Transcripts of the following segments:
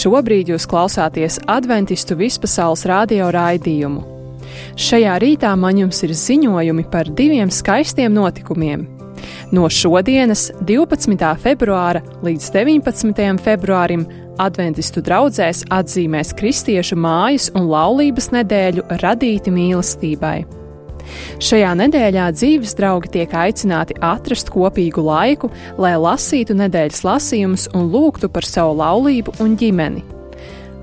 Šobrīd jūs klausāties Adventistu vispasaules radio raidījumu. Šajā rītā man jums ir ziņojumi par 2 skaistiem notikumiem. No šodienas, 12. februāra līdz 19. februārim, Adventistu draudzēs atzīmēs kristiešu mājas un laulības nedēļu radīti mīlestībai. Šajā nedēļā dzīves draugi tiek aicināti atrast kopīgu laiku, lai lasītu nedēļas lasījumus un lūgtu par savu laulību un ģimeni.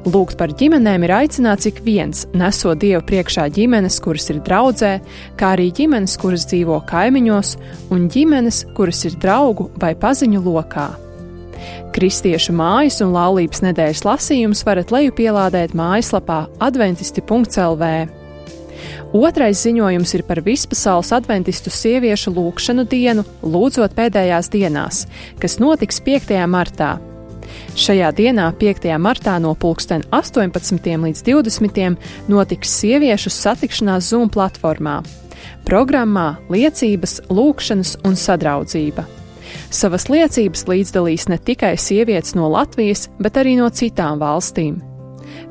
Lūgt par ģimenēm ir aicināts ik viens, nesot Dievu priekšā ģimenes, kuras ir draudzē, kā arī ģimenes, kuras dzīvo kaimiņos, un ģimenes, kuras ir draugu vai paziņu lokā. Kristiešu mājas un laulības nedēļas lasījumus varat lejupielādēt mājaslapā adventisti.lv. Otrais ziņojums ir par vispasaules adventistu sieviešu lūgšanu dienu, lūdzot pēdējās dienās, kas notiks 5. martā. Šajā dienā, 5. martā, no 18. līdz 20. notiks sieviešu satikšanās Zoom platformā. Programmā liecības, lūgšanas un sadraudzība. Savas liecības līdzdalīs ne tikai sievietes no Latvijas, bet arī no citām valstīm.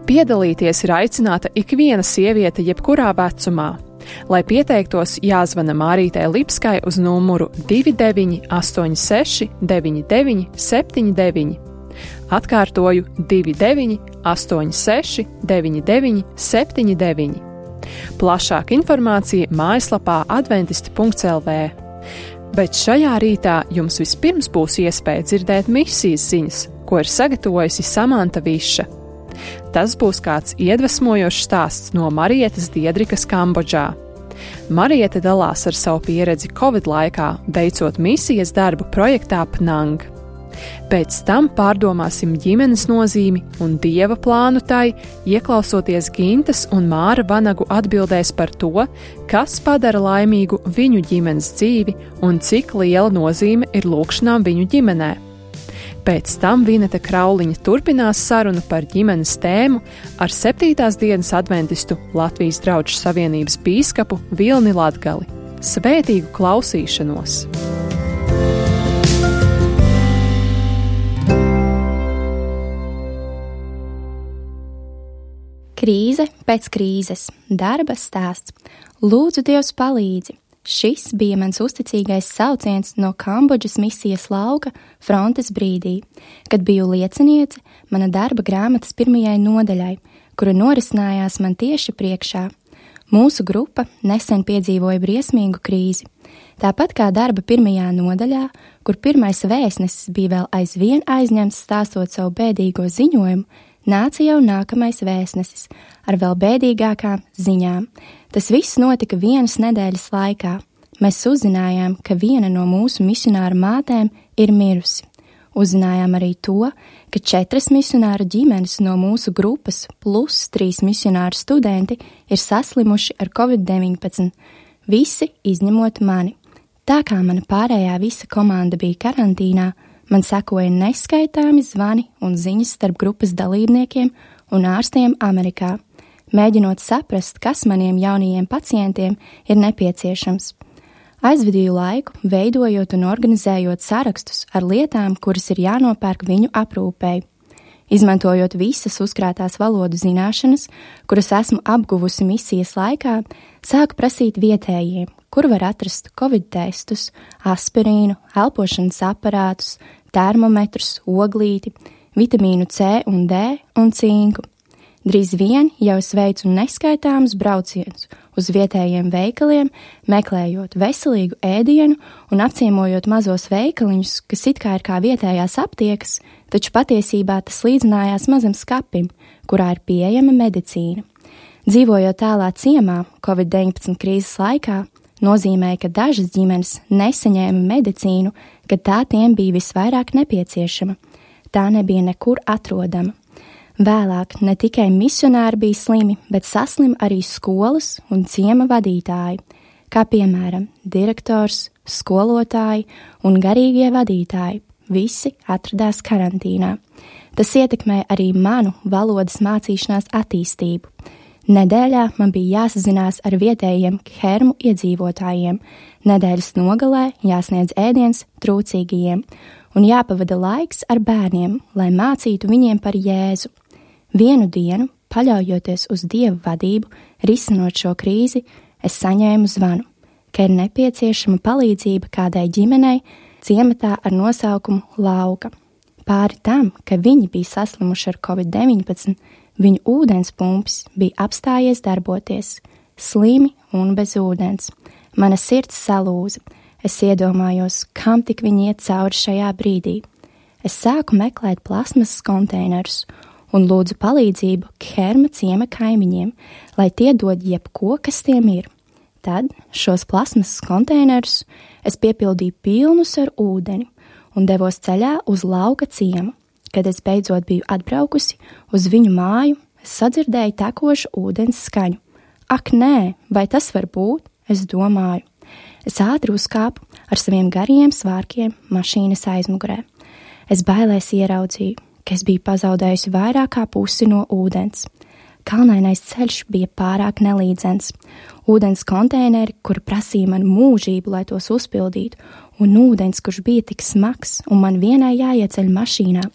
Piedalīties ir aicināta ikviena sieviete jebkurā vecumā. Lai pieteiktos, jāzvana Mārītei Lipskai uz numuru 2986 99 79. Atkārtoju 2986 99 79. Plašāka informācija mājaslapā adventisti.lv. Bet šajā rītā jums vispirms būs iespēja dzirdēt misijas ziņas, ko ir sagatavojusi Samanta Viša. Tas būs kāds iedvesmojošs stāsts no Marietas Diedrikas Kambodžā. Marieta dalās ar savu pieredzi Covid laikā, veicot misijas darbu projektā Pnang. Pēc tam pārdomāsim ģimenes nozīmi un Dieva plānu tai, ieklausoties Gintas un Māra Vanagu atbildēs par to, kas padara laimīgu viņu ģimenes dzīvi un cik liela nozīme ir lūgšanām viņu ģimenē. Pēc tam Vineta Krauliņa turpinās sarunu par ģimenes tēmu ar 7. dienas adventistu Latvijas Draugu savienības bīskapu Vilni Latgali. Svētīgu klausīšanos! Krīze pēc krīzes, darba stāsts. Lūdzu, Dievs palīdzi! Šis bija mans uzticīgais sauciens no Kambodžas misijas lauka frontes brīdī, kad biju lieciniece mana darba grāmatas 1. nodaļai, kura norisinājās man tieši priekšā. Mūsu grupa nesen piedzīvoja briesmīgu krīzi. Tāpat kā darba 1. nodaļā, kur pirmais vēstnesis bija vēl aizvien aizņemts stāstot savu bēdīgo ziņojumu, nāca jau nākamais vēstnesis ar vēl bēdīgākām ziņām. Tas viss notika vienas nedēļas laikā. Mēs uzzinājām, ka viena no mūsu misionāru mātēm ir mirusi. Uzzinājām arī to, ka 4 misionāru ģimenes no mūsu grupas plus 3 misionāru studenti ir saslimuši ar Covid-19, visi izņemot mani. Tā kā mana pārējā visa komanda bija karantīnā, man sekoja neskaitāmi zvani un ziņas starp grupas dalībniekiem un ārstiem Amerikā, mēģinot saprast, kas maniem jaunajiem pacientiem ir nepieciešams. Aizvadīju laiku, veidojot un organizējot sarakstus ar lietām, kuras ir jānopērk viņu aprūpei. Izmantojot visas uzkrātās valodu zināšanas, kuras esmu apguvusi misijas laikā, sāku prasīt vietējiem, kur var atrast Covid testus, aspirīnu, elpošanas aparātus, termometrus, oglīti, vitamīnu C un D un cinku. Drīz vien jau es veicu neskaitāmus braucienus uz vietējiem veikaliem, meklējot veselīgu ēdienu un apciemojot mazos veikaliņus, kas it kā ir kā vietējās aptiekas, taču patiesībā tas līdzinājās mazam skapim, kurā ir pieejama medicīna. Dzīvojot tālā ciemā Covid-19 krīzes laikā, nozīmēja, ka dažas ģimenes nesaņēma medicīnu, kad tā tiem bija visvairāk nepieciešama. Tā nebija nekur atrodama. Vēlāk ne tikai misionāri bija slimi, bet saslim arī skolas un ciema vadītāji, kā piemēram direktors, skolotāji un garīgie vadītāji. Visi atradās karantīnā. Tas ietekmē arī manu valodas mācīšanās attīstību. Nedēļā man bija jāsazinās ar vietējiem Khermu iedzīvotājiem, nedēļas nogalē jāsniedz ēdiens trūcīgajiem un jāpavada laiks ar bērniem, lai mācītu viņiem par Jēzu. Vienu dienu, paļaujoties uz Dieva vadību, risinot šo krīzi, es saņēmu zvanu, ka ir nepieciešama palīdzība kādai ģimenei ciematā ar nosaukumu Lauka. Pāri tam, ka viņi bija saslimuši ar Covid-19, viņu ūdenspumpis bija apstājies darboties, slimi un bez ūdens. Mana sirds salūza. Es iedomājos, kam tik viņi iet cauri šajā brīdī. Es sāku meklēt plasmasas konteinerus un lūdzu palīdzību Kherma ciema kaimiņiem, lai tie dod jebko, kas tiem ir. Tad šos plasmasas konteinerus es piepildīju pilnus ar ūdeni un devos ceļā uz Lauka ciemu. Kad es beidzot biju atbraukusi uz viņu māju, es sadzirdēju tekošu ūdens skaņu. Ak, nē, vai tas var būt? Es domāju. Es ātri uzkāpu ar saviem gariem svārkiem mašīnas aizmugurē. Es bailēs ieraudzīju, ka es biju pazaudējusi vairāk kā pusi no ūdens. Kalnainais ceļš bija pārāk nelīdzens. Ūdens konteineri, kuri prasīja man mūžību, lai tos uzpildītu, un ūdens, kurš bija tik smags, un man vienai jāieceļ mašīnā,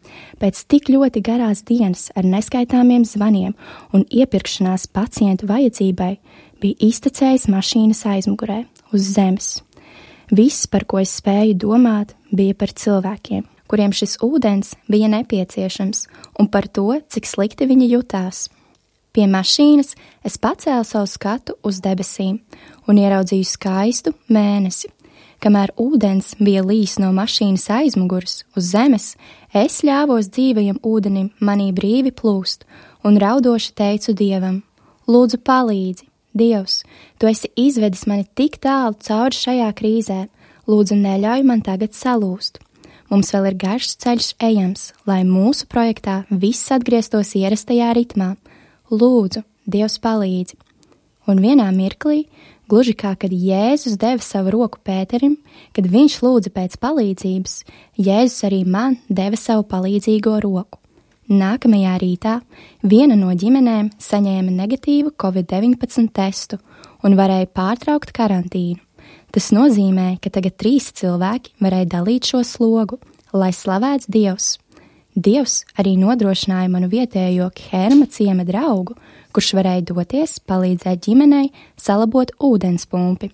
pēc tik ļoti garās dienas ar neskaitāmiem zvaniem un iepirkšanās pacientu vajadzībai, bija iztecējis mašīnas aizmugurē, uz zemes. Viss, par ko es spēju domāt, bija par cilvēkiem, kuriem šis ūdens bija nepieciešams, un par to, cik slikti viņi jutās. Pie mašīnas es pacēlu savu skatu uz debesīm un ieraudzīju skaistu mēnesi. Kamēr ūdens bija līs no mašīnas aizmuguras uz zemes, es ļāvos dzīvajam ūdenim manī brīvi plūst un raudoši teicu Dievam: Lūdzu, palīdzi! Dievs, Tu esi izvedis mani tik tālu cauri šajā krīzē, lūdzu, neļauj man tagad salūst. Mums vēl ir garš ceļš ejams, lai mūsu projektā viss atgrieztos ierastajā ritmā. Lūdzu, Dievs palīdzi. Un vienā mirklī, gluži kā kad Jēzus deva savu roku Pēterim, kad viņš lūdza pēc palīdzības, Jēzus arī man deva savu palīdzīgo roku. Nākamajā rītā viena no ģimenēm saņēma negatīvu Covid-19 testu un varēja pārtraukt karantīnu. Tas nozīmē, ka tagad 3 cilvēki varēja dalīt šo slogu, lai slavēts Dievs. Dievs arī nodrošināja manu vietējo Kherma ciema draugu, kurš varēja doties palīdzēt ģimenei salabot ūdenspumpi.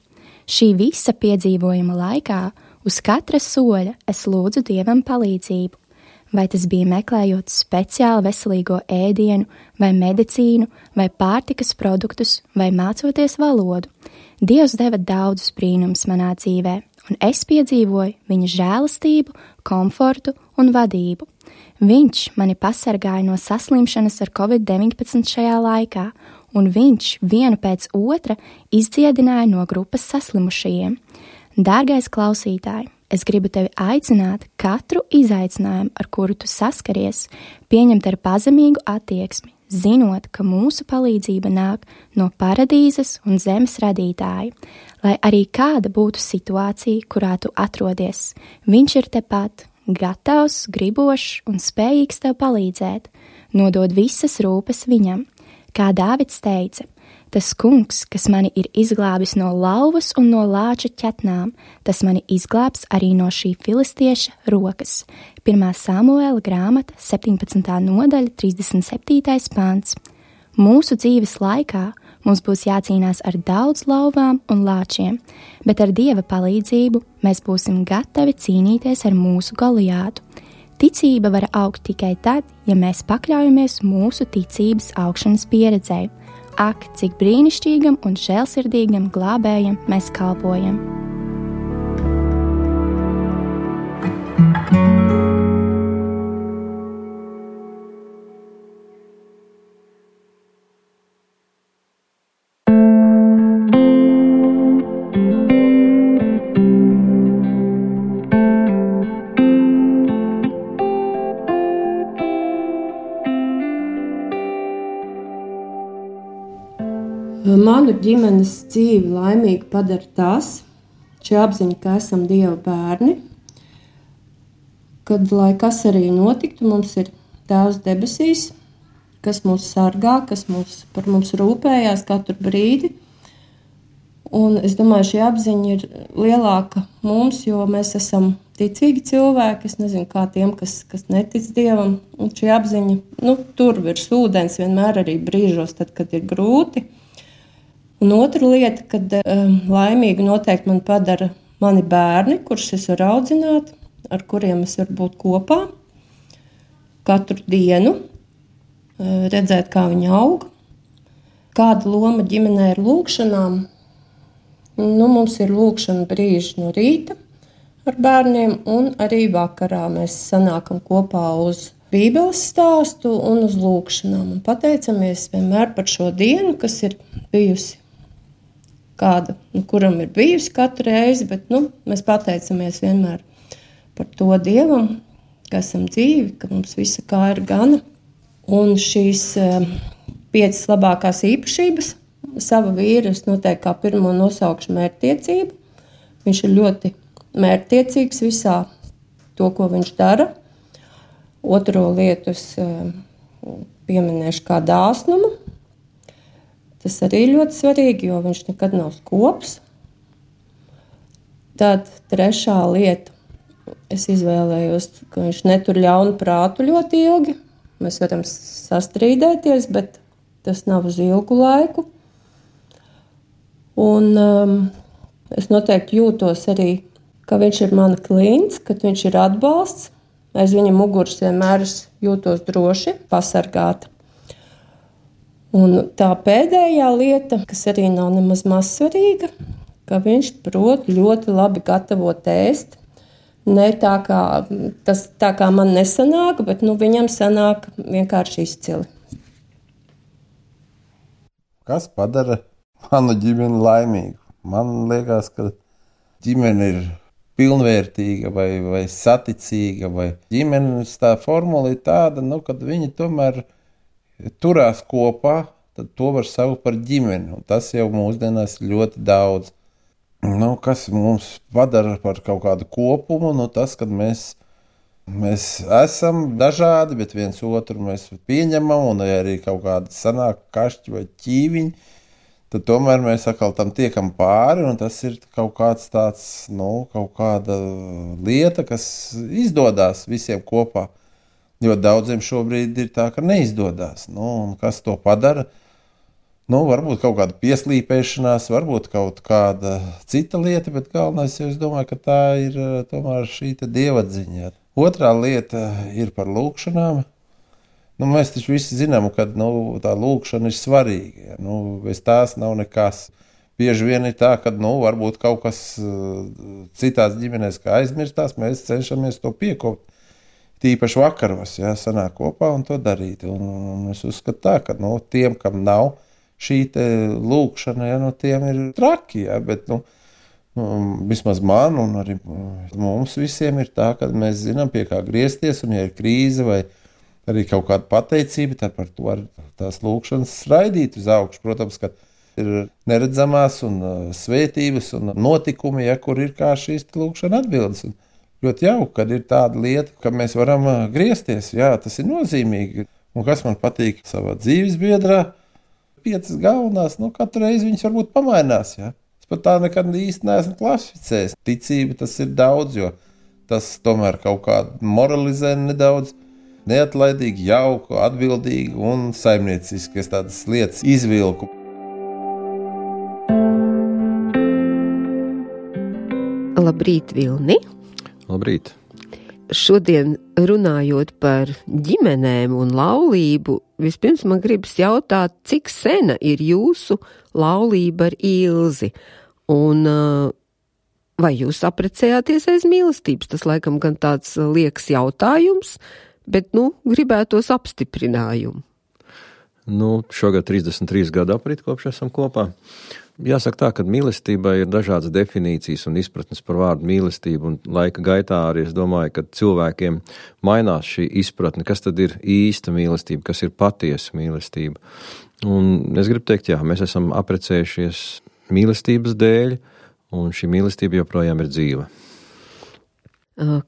Šī visa piedzīvojuma laikā uz katra soļa es lūdzu Dievam palīdzību. Vai tas bija meklējot speciāli veselīgo ēdienu, vai medicīnu, vai pārtikas produktus, vai mācoties valodu. Dievs deva daudzus brīnumus manā dzīvē, un es piedzīvoju viņa žēlastību, komfortu un vadību. Viņš mani pasargāja no saslimšanas ar Covid-19 šajā laikā, un viņš vienu pēc otra izdziedināja no grupas saslimušajiem. Dārgais klausītāj, es gribu tevi aicināt katru izaicinājumu, ar kuru tu saskaries, pieņemt ar pazemīgu attieksmi, zinot, ka mūsu palīdzība nāk no paradīzes un zemes radītāja, lai arī kāda būtu situācija, kurā tu atrodies. Viņš ir tepat, gatavs, gribošs un spējīgs tev palīdzēt, nodod visas rūpes viņam. Kā Dāvids teica, tas kungs, kas mani ir izglābis no lauvas un no lāča ķetnām, tas mani izglābs arī no šī filistieša rokas. 1. Samuēla grāmata, 17. nodaļa, 37. pants. Mūsu dzīves laikā mums būs jācīnās ar daudz lauvām un lāčiem, bet ar Dieva palīdzību mēs būsim gatavi cīnīties ar mūsu Goliātu. Ticība var augt tikai tad, ja mēs pakļaujamies mūsu ticības augšanas pieredzei. Ak, cik brīnišķīgam un žēlsirdīgam glābējam mēs kalpojam! Manu ģimenes dzīvi laimīgi padara tas, šī apziņa, ka esam Dieva bērni, kad, lai kas arī notiktu, mums ir Tēvs debesīs, kas mūs sargā, kas par mums rūpējās katru brīdi. Un es domāju, šī apziņa ir lielāka mums, jo mēs esam ticīgi cilvēki. Es nezinu, kā tiem, kas netic Dievam. Un šī apziņa, tur virs ūdens vienmēr arī brīžos, tad, kad ir grūti. Un otra lieta, kad laimīgu noteikti man padara mani bērni, kurus es varu audzināt, ar kuriem es varu būt kopā katru dienu, redzēt, kā viņi aug. Kāda loma ģimenē ir lūkšanām? Mums ir lūkšana brīži no rīta ar bērniem, un arī vakarā mēs sanākam kopā uz Bībeles stāstu un uz lūkšanām. Un pateicamies vienmēr par šo dienu, kas ir bijusi kāda, kuram ir bijusi katru reizi, bet mēs pateicamies vienmēr par to Dievam, ka esam dzīvi, ka mums visa kā ir gana. Un šīs 5 labākās īpašības sava vīra es noteikti kā pirmo nosaukšu mērķtiecību. Viņš ir ļoti mērķtiecīgs visā to, ko viņš dara. Otro lietu es pieminēšu kā dāsnumu. Tas arī ļoti svarīgi, jo viņš nekad nav skops. Tad trešā lieta. Es izvēlējos, ka viņš netur ļaunu prātu ļoti ilgi. Mēs varam sastrīdēties, bet tas nav uz ilgu laiku. Un es noteikti jūtos arī, ka viņš ir mana klients, ka viņš ir atbalsts. Aiz viņa muguras vienmēr es jūtos droši, pasargāta. Un tā pēdējā lieta, kas arī nav nemaz mazsvarīga, ka viņš prot ļoti labi gatavot ēst. Ne tā kā man nesanāk, bet viņam sanāk vienkārši izcili. Kas padara manu ģimeni laimīgu? Man liekas, ka ģimene ir pilnvērtīga vai saticīga, vai ģimenes tā formula ir tāda, kad viņi tomēr turās kopā, tad to var saukt par ģimeni, un tas jau mūsdienās ir ļoti daudz. Kas mums padara par kaut kādu kopumu, tas, kad mēs esam dažādi, bet viens otru mēs pieņemam, un arī kaut kāda sanāk kašķi vai ķīviņi, tad tomēr mēs atkal tam tiekam pāri, un tas ir kaut kāds tāds, kaut kāda lieta, kas izdodas visiem kopā. Jo daudziem šobrīd ir tā, ka neizdodas. Un kas to padara? Varbūt kaut kāda pieslīpēšanās, varbūt kaut kāda cita lieta, bet galvenais jau es domāju, ka tā ir tomēr šī dievadziņa. Otrā lieta ir par lūkšanām. Mēs taču visi zinām, ka tā lūkšana ir svarīga. Bez tās nav nekas. Bieži vien ir tā, ka varbūt kaut kas citās ģimenēs kā aizmirstās, mēs cenšamies to piekopt. Tīpaši vakaros, sanāk kopā un to darīt. Un es uzskatu tā, ka tiem, kam nav šī lūkšana, tiem ir traki, bet vismaz man un arī mums visiem ir tā, ka mēs zinām, pie kā griezties, un ja ir krīze vai arī kaut kāda pateicība, tad par to var tās lūkšanas raidīt uz augšu. Protams, ka ir neredzamās un svētības un notikumi, kur ir kā šīs lūkšana atbildes. Ļoti jauki, kad ir tāda lieta, ka mēs varam griezties. Jā, tas ir nozīmīgi. Un kas man patīk savā dzīves biedrā, 5 galvenās, katru reizi viņas varbūt pamainās. Jā. Es pat tā nekad īsti neesmu klasificējis. Ticība tas ir daudz, jo tas tomēr kaut kā moralizē nedaudz, neatlaidīgi, jauku, atbildīgi un saimnieciski. Es tādas lietas izvilku. Labrīt, Vilni! Labrīt! Šodien runājot par ģimenēm un laulību, vispirms man gribas jautāt, cik sena ir jūsu laulība ar Ilzi? Un vai jūs apprecējāties aiz mīlestības? Tas laikam gan tāds liekas jautājums, bet, gribētos apstiprinājumu. Šogad 33 gadu aprit kopš esam kopā. Jāsaka tā, ka mīlestībai ir dažādas definīcijas un izpratnes par vārdu mīlestību, un laika gaitā arī es domāju, ka cilvēkiem mainās šī izpratne, kas tad ir īsta mīlestība, kas ir patiesa mīlestība. Un es gribu teikt, mēs esam apprecējušies mīlestības dēļ, un šī mīlestība joprojām ir dzīva.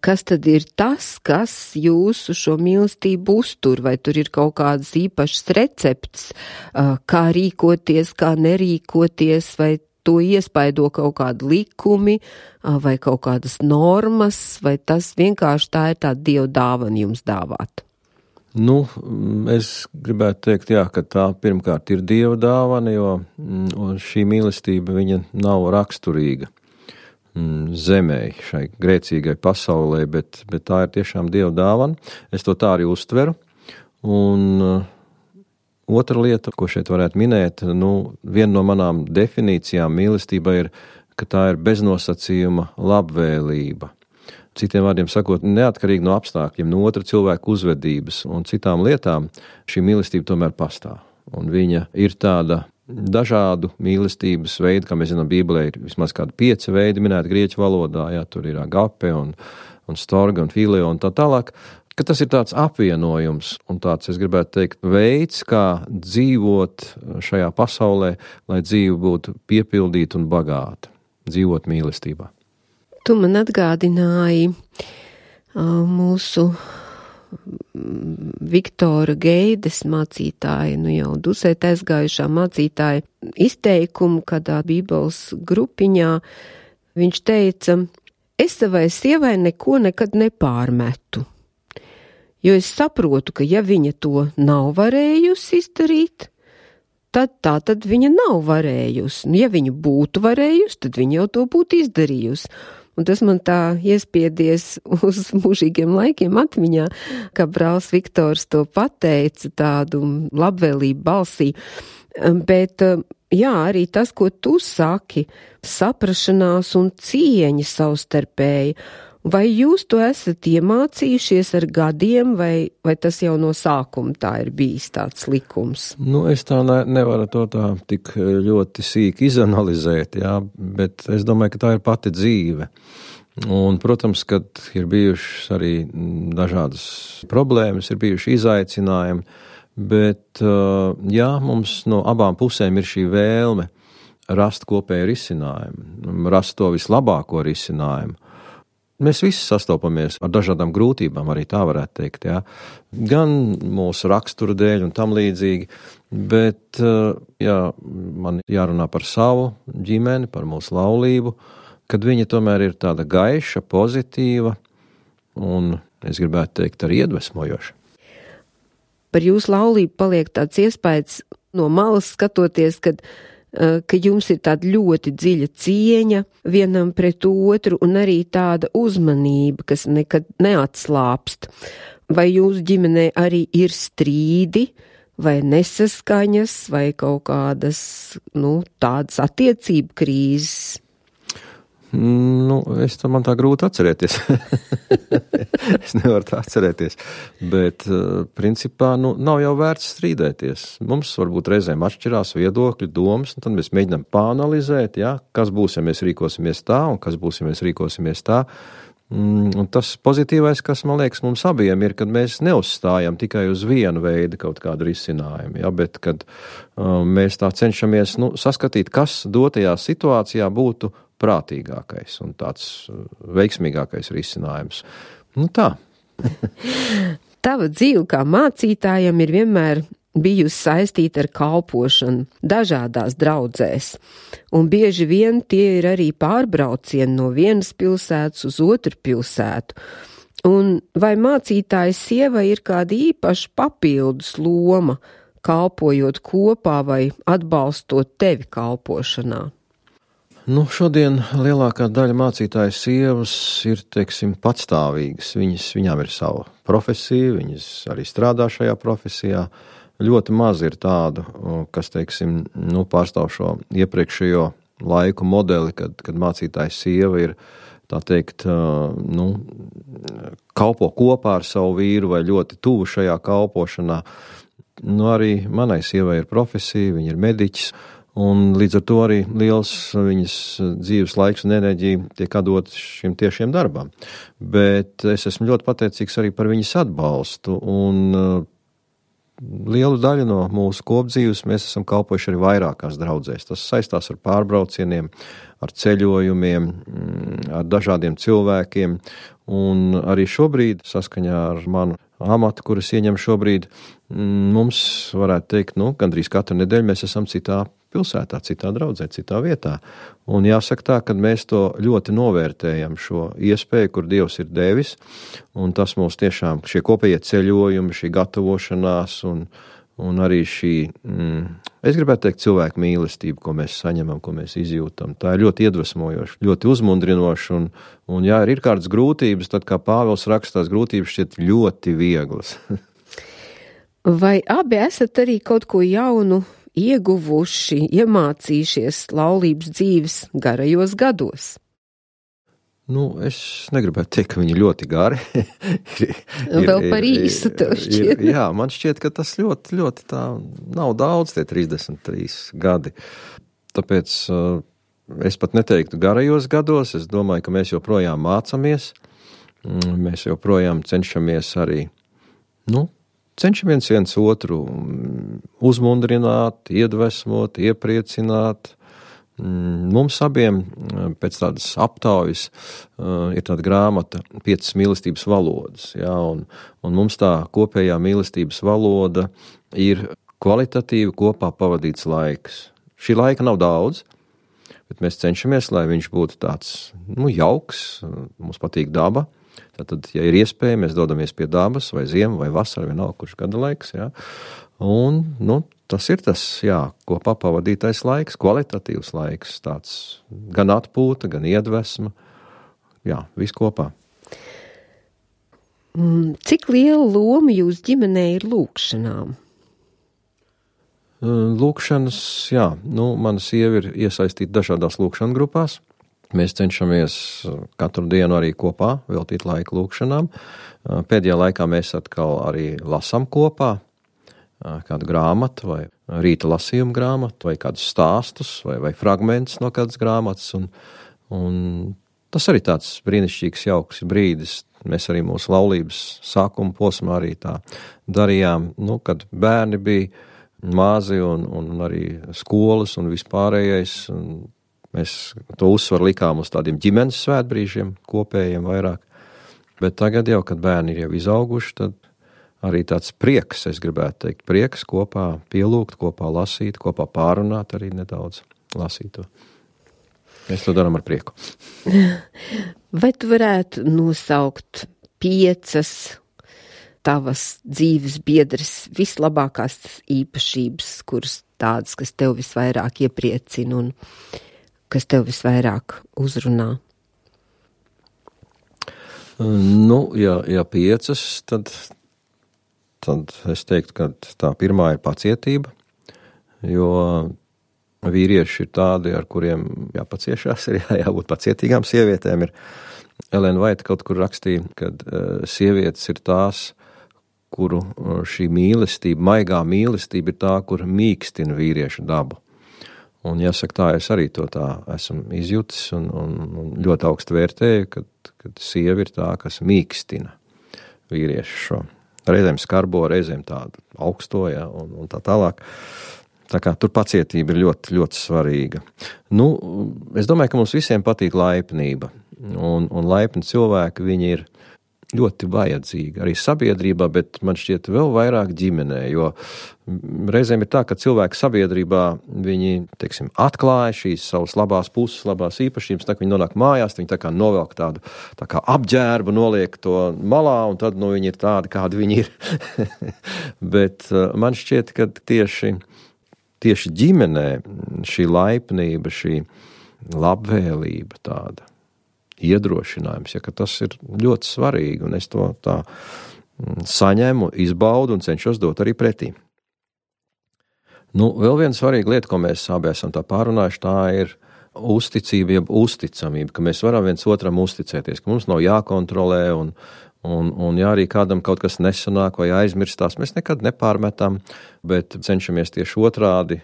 Kas tad ir tas, kas jūsu šo mīlestību uztur, vai tur ir kaut kādas īpašas recepts, kā rīkoties, kā nerīkoties, vai to iespaido kaut kādi likumi vai kaut kādas normas, vai tas vienkārši tā ir tāda Dieva dāvana jums dāvāt? Nu, es gribētu teikt, jā, ka tā pirmkārt ir Dieva dāvana, jo šī mīlestība viņa nav raksturīga zemēji, šai grēcīgai pasaulē, bet tā ir tiešām Dieva dāvana. Es to tā arī uztveru. Un otra lieta, ko šeit varētu minēt, viena no manām definīcijām mīlestība ir, ka tā ir beznosacījuma labvēlība. Citiem vārdiem sakot, neatkarīgi no apstākļiem, no otra cilvēka uzvedības un citām lietām, šī mīlestība tomēr pastāv. Un viņa ir tāda dažādu mīlestības veidu, kā mēs zinām, Bībelē ir vismaz kādi 5 veidi minēti grieķu valodā, jā, tur ir agape un storge un fileo un tā tālāk, ka tas ir tāds apvienojums un tāds, es gribētu teikt, veids, kā dzīvot šajā pasaulē, lai dzīve būtu piepildīta un bagāta, dzīvot mīlestībā. Tu man atgādināji mūsu Viktora Geides mācītāja, jau dusēt aizgājušā mācītāja izteikumu kādā Bībeles grupiņā. Viņš teica, es savai sievai neko nekad nepārmetu, jo es saprotu, ka ja viņa to nav varējusi izdarīt, tad viņa nav varējusi. Ja viņa būtu varējusi, tad viņa jau to būtu izdarījusi. Un tas man tā iespiedies uz mūžīgiem laikiem atmiņā, kā brālis Viktors to pateica tādu labvēlību balsī. Bet, jā, arī tas, ko tu saki, saprašanās un cieņa savstarpēji, vai jūs to esat iemācījušies ar gadiem, vai tas jau no sākuma tā ir bijis tāds likums? Es tā nevaru to tā tik ļoti sīki izanalizēt, jā, bet es domāju, ka tā ir pati dzīve. Un, protams, kad ir bijušas arī dažādas problēmas, ir bijuši izaicinājumi, bet, jā, mums no abām pusēm ir šī vēlme rast kopēju risinājumu, rast to vislabāko risinājumu. Mēs visi sastopamies ar dažādām grūtībām, arī tā varētu teikt, jā. Gan mūsu rakstura dēļ un tam līdzīgi, bet, jā, man jārunā par savu ģimeni, par mūsu laulību, kad viņa tomēr ir tāda gaiša, pozitīva un, es gribētu teikt, arī iedvesmojoša. Par jūsu laulību paliek tāds iespējas no malas skatoties, ka jums ir tāda ļoti dziļa cieņa vienam pret otru un arī tāda uzmanība, kas nekad neatslāpst. Vai jūsu ģimenē arī ir strīdi, vai nesaskaņas, vai kaut kādas, tādas attiecību krīzes? Man tā grūti atcerēties. Es nevaru tā atcerēties. Bet, principā, nav jau vērts strīdēties. Mums varbūt reizēm atšķirās viedokļi, domas, un tad mēs mēģinām pāanalizēt, jā, kas būs, ja mēs rīkosimies tā, un kas būs, ja mēs rīkosimies tā. Un tas pozitīvais, kas, man liekas, mums abiem ir, kad mēs neuzstājam tikai uz vienu veidu kaut kādu risinājumu, ja, bet kad mēs tā cenšamies saskatīt, kas dotajā situācijā būtu prātīgākais un tāds veiksmīgākais risinājums. Tā. Tava dzīve kā mācītājam ir vienmēr bijusi saistīta ar kalpošanu dažādās draudzēs, un bieži vien tie ir arī pārbraucieni no vienas pilsētas uz otru pilsētu. Un vai mācītāja sieva ir kāda īpaša papildus loma, kalpojot kopā vai atbalstot tevi kalpošanā? Šodien lielākā daļa mācītāju sievas ir, patstāvīgas. Viņām ir sava profesija, viņas arī strādā šajā profesijā. Ļoti maz ir tādu, kas, pārstāv šo iepriekšējo laiku modeli, kad mācītāja sieva ir, kalpo kopā ar savu vīru vai ļoti tuvu šajā kalpošanā. Arī manai sievai ir profesija, viņa ir mediķis. Un līdz ar to arī liels viņas dzīves laiks un enerģija tiek atdot šim tiešiem darbam. Bet es esmu ļoti pateicīgs arī par viņas atbalstu, un lielu daļu no mūsu kopdzīves mēs esam kalpojuši arī vairākās draudzēs. Tas saistās ar pārbraucieniem, ar ceļojumiem, ar dažādiem cilvēkiem, un arī šobrīd, saskaņā ar manu amatu, kuras ieņem šobrīd, mums varētu teikt, gandrīz katru nedēļu mēs esam citā pilsētā, citā draudzē, citā vietā. Un jāsaka tā, ka mēs to ļoti novērtējam, šo iespēju, kur Dievs ir devis, un tas mūs tiešām, šie kopējie ceļojumi, šī gatavošanās un arī šī, es gribētu teikt, cilvēku mīlestība, ko mēs saņemam, ko mēs izjūtam. Tā ir ļoti iedvesmojoša, ļoti uzmundrinoša, un ja ir kādas grūtības, tad, kā Pāvils raksta, tās grūtības šķiet ļoti vieglas. Vai abi esat arī kaut ko jaunu ieguvuši, iemācījušies laulības dzīves garajos gados? Es negribētu teikt, ka viņi ļoti gari. Vēl par īsu tev šķiet. Jā, man šķiet, ka tas ļoti, ļoti tā nav daudz, tie 33 gadi. Tāpēc es pat neteiktu garajos gados, es domāju, ka mēs joprojām mācamies, mēs joprojām cenšamies arī, cenšamies viens otru uzmundrināt, iedvesmot, iepriecināt. Mums abiem pēc tādas aptaujas ir tāda grāmata 5 mīlestības valodas, un mums tā kopējā mīlestības valoda ir kvalitatīvi kopā pavadīts laiks. Šī laika nav daudz, bet mēs cenšamies, lai viņš būtu tāds, jauks, mums patīk daba. Tātad, ja ir iespēja, mēs dodamies pie dabas, vai ziema, vai vasara, vienalga, kurš gada laiks, Un, tas ir tas, kopā pavadītais laiks, kvalitatīvs laiks, tāds gan atpūta, gan iedvesma, viss kopā. Cik liela loma jūs ģimenē ir lūkšanām? Lūkšanas, mana sieva ir iesaistīta dažādās lūkšanu grupās. Mēs cenšamies katru dienu arī kopā veltīt laiku lūkšanām. Pēdējā laikā mēs atkal arī lasām kopā kādu grāmatu vai rīta lasījumu grāmatu vai kādus stāstus vai fragmentus no kādas grāmatas. Un tas arī tāds brīnišķīgs, jauks brīdis. Mēs arī mūsu laulības sākuma posmā arī tā darījām, kad bērni bija mazi un arī skolas un vispārējais. Un mēs to uzsvaru likām uz tādiem ģimenes svētbrīžiem, kopējiem vairāk. Bet tagad jau, kad bērni ir jau izauguši, tad arī tāds prieks, es gribētu teikt, prieks kopā pielūgt, kopā lasīt, kopā pārunāt arī nedaudz lasīt to. Mēs to darām ar prieku. Vai tu varētu nosaukt 5 tavas dzīves biedras vislabākās īpašības, kuras tādas, kas tev visvairāk iepriecina un kas tev visvairāk uzrunā? Ja 5, tad es teiktu, ka tā pirmā ir pacietība, jo vīrieši ir tādi, ar kuriem jāpaciešās, ir jābūt pacietīgām sievietēm. Elena Vaita kaut kur rakstīja, ka sievietes ir tās, kuru šī mīlestība, maigā mīlestība ir tā, kur mīkstina vīriešu dabu. Un jāsaka tā, es arī to tā esmu izjutis un ļoti augstu vērtēju, kad sieva ir tā, kas mīkstina vīriešu šo. Reizēm skarbo, reizēm tādu augsto, un tā tālāk. Tā kā tur pacietība ir ļoti, ļoti svarīga. Es domāju, ka mums visiem patīk laipnība, un laipni cilvēki, viņi ir ļoti vajadzīgi arī sabiedrībā, bet man šķiet vēl vairāk ģimenē, jo reizēm ir tā, ka cilvēki sabiedrībā, viņi, atklāja šīs savas labās puses, labās īpašības, tā kā viņi nonāk mājās, viņi tā kā novelk tādu tā kā apģērbu, noliek to malā, un tad, viņi ir tādi, kādi viņi ir. Bet man šķiet, ka tieši ģimenē šī laipnība, šī labvēlība tāda, iedrošinājums, ka tas ir ļoti svarīgi, un es to tā saņemu, izbaudu un cenšos dot arī pretī. Vēl viena svarīga lieta, ko mēs abi esam tā pārunājuši, tā ir uzticība, jeb uzticamība, ka mēs varam viens otram uzticēties, ka mums nav jākontrolē un ja arī kādam kaut kas nesanāk vai aizmirstās, mēs nekad nepārmetam, bet cenšamies tieši otrādi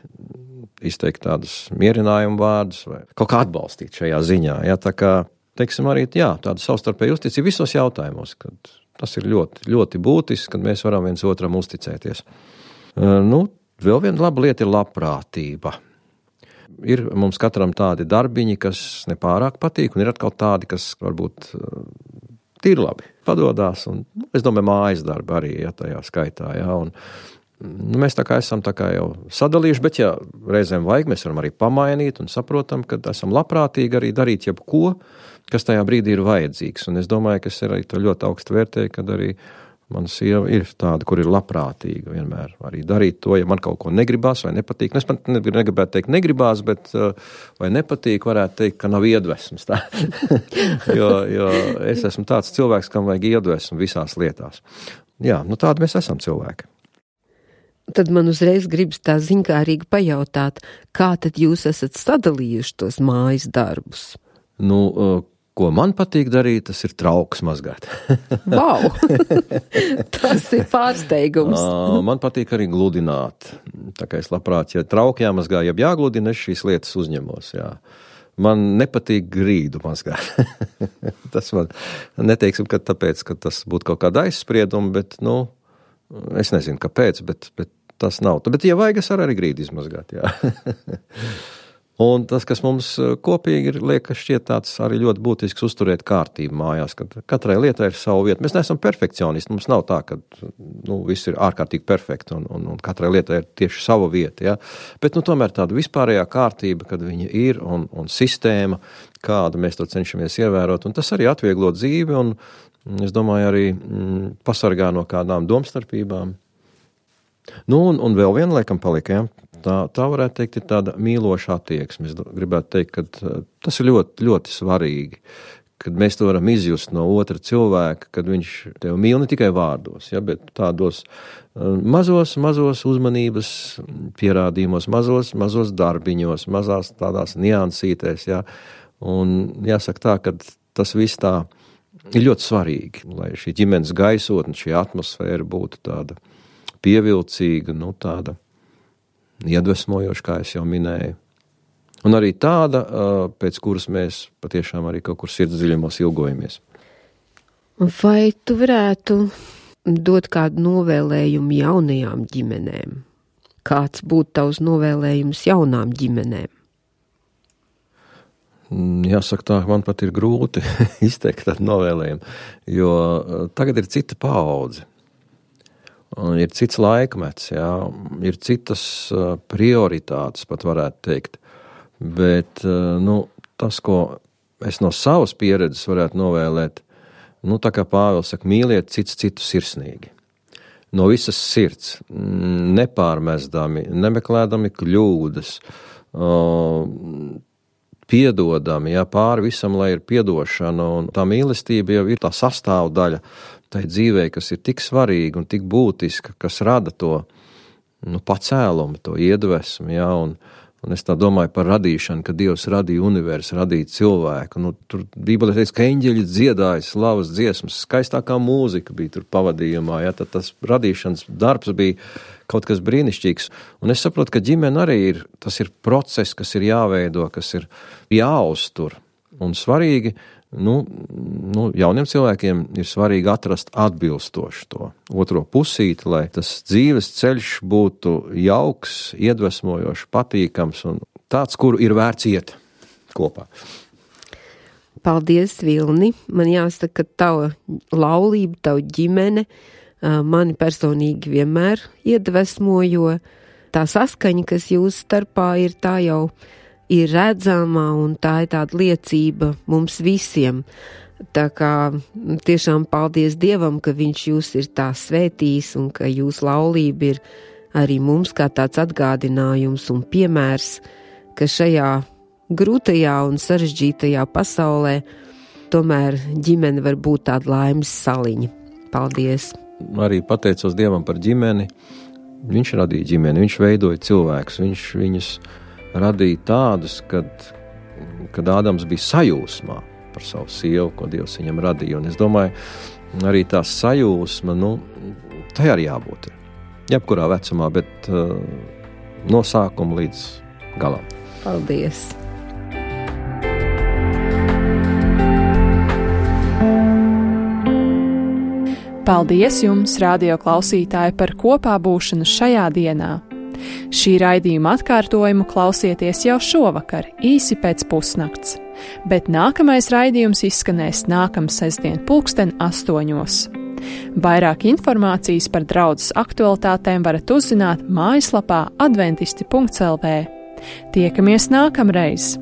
izteikt tādus mierinājumu vārdus vai kaut kā atbalstīt šajā ziņā. Tā kā arī tāda savstarpēja uzticība visos jautājumos, kad tas ir ļoti, ļoti būtiski, kad mēs varam viens otram uzticēties. Vēl viena laba lieta ir labprātība. Ir mums katram tādi darbiņi, kas nepārāk patīk, un ir atkal tādi, kas varbūt tīri labi padodās, un es domāju, mājas darbi arī tajā skaitā, un Mēs tā kā esam tā kā jau sadalījuši, bet ja reizēm vajag, mēs varam arī pamainīt un saprotam, ka esam labprātīgi arī darīt jebko, kas tajā brīdī ir vajadzīgs. Un es domāju, ka es arī to ļoti augstu vērtēju, kad arī mana sieva ir tāda, kur ir labprātīga vienmēr arī darīt to, ja man kaut ko negribās vai nepatīk. Es pat negribētu teikt negribās, bet vai nepatīk, varētu teikt, ka nav iedvesmas. Tā. jo es esmu tāds cilvēks, kam vajag iedvesmu visās lietās. Jā, tādi mēs esam cilvēki. Tad man uzreiz gribas tā ziņkārīgi pajautāt, kā tad jūs esat sadalījuši tos mājas darbus? Ko man patīk darīt, tas ir trauks mazgāt. Vau! Tas ir pārsteigums. Man patīk arī gludināt. Tā kā es labprāt, ja trauki jāmazgā, ja jāgludina, es šīs lietas uzņemos, jā. Man nepatīk grīdu mazgāt. Tas man neteiksim, ka tāpēc, ka tas būtu kaut kāda aizsprieduma, bet, es nezinu, kāpēc, bet tas nav. Bet, ja vajag, es arī grīdu izmazgāt, jā. Un tas, kas mums kopīgi ir, liekas, šķiet tāds arī ļoti būtisks uzturēt kārtību mājās, kad katrai lietai ir savu vietu. Mēs neesam perfekcionisti, mums nav tā, ka viss ir ārkārtīgi perfekti un katrai lietai ir tieši sava vieta, ja? Bet tomēr tāda vispārējā kārtība, kad viņa ir un sistēma, kādu mēs to cenšamies ievērot, un tas arī atvieglo dzīvi un, es domāju, arī pasargā no kādām domstarpībām. Un vēl viena, laikam, palika, ja? Tā varētu teikt, ir tāda mīloša attieksme. Es gribētu teikt, ka tas ir ļoti, ļoti svarīgi, kad mēs to varam izjust no otra cilvēka, kad viņš tev mīl ne tikai vārdos, ja, bet tādos mazos uzmanības pierādījumos, mazos darbiņos, mazās tādās niansītēs, ja. Un jāsaka tā, ka tas viss tā ir ļoti svarīgi, lai šī ģimenes gaisotne, šī atmosfēra būtu tāda pievilcīga, tāda iedvesmojoša, kā es jau minēju. Un arī tāda, pēc kuras mēs patiešām arī kaut kur sirds dziļumos ilgojamies. Vai tu varētu dot kādu novēlējumu jaunajām ģimenēm? Kāds būtu tavs novēlējums jaunām ģimenēm? Jāsaka tā, man pat ir grūti izteikt tādu novēlējumu, jo tagad ir cita paudze. Un ir cits laikmets, jā, ir citas prioritātes, pat varētu teikt. Bet, tas, ko es no savas pieredzes varētu novēlēt, tā kā Pāvils saka, mīliet citu sirsnīgi. No visas sirds, nepārmestami, nemeklēdami kļūdas, piedodami, jā, pāri visam, lai ir piedošana, un tā mīlestība jau ir tā sastāvdaļa tai dzīvē, kas ir tik svarīga un tik būtiska, kas rada to pacēlumu, to iedvesmu, jā, un es tā domāju par radīšanu, ka Dievs radīja universu, radīja cilvēku, tur Bībelē teica, ka eņģeļi dziedāja slavas dziesmas, skaistākā mūzika bija tur pavadījumā, jā, tad tas radīšanas darbs bija kaut kas brīnišķīgs, un es saprotu, ka ģimene arī tas ir process, kas ir jāveido, kas ir jāuztur, un svarīgi, jauniem cilvēkiem ir svarīgi atrast atbilstoši to otro pusīti, lai tas dzīves ceļš būtu jauks, iedvesmojošs, patīkams un tāds, kuru ir vērts iet kopā. Paldies, Vilni. Man jāsaka, ka tava laulība, tava ģimene mani personīgi vienmēr iedvesmo, jo tā saskaņa, kas jūsu starpā ir, tā jau ir redzama, un tā ir tāda liecība mums visiem. Tā kā tiešām paldies Dievam, ka viņš jūs ir tā svētījis, un ka jūsu laulība ir arī mums kā tāds atgādinājums un piemērs, ka šajā grūtajā un sarežģītajā pasaulē tomēr ģimene var būt tāda laimes saliņa. Paldies! Arī pateicos Dievam par ģimeni. Viņš radīja ģimeni, viņš veidoja cilvēkus, viņš viņus radīja tādus, kad Ādams bija sajūsmā par savu sievu, ko Dievs viņam radīja. Un es domāju, arī tā sajūsma, tai arī jābūt. Jebkurā vecumā, bet no sākuma līdz galam. Paldies! Paldies jums, radio klausītāji, par kopā būšanu šajā dienā. Šī raidījuma atkārtojumu klausieties jau šovakar, īsi pēc pusnakts, bet nākamais raidījums izskanēs nākamsestdien 20:08. Vairāk informācijas par draudzes aktualitātēm varat uzzināt mājaslapā adventisti.lv. Tiekamies nākamreiz!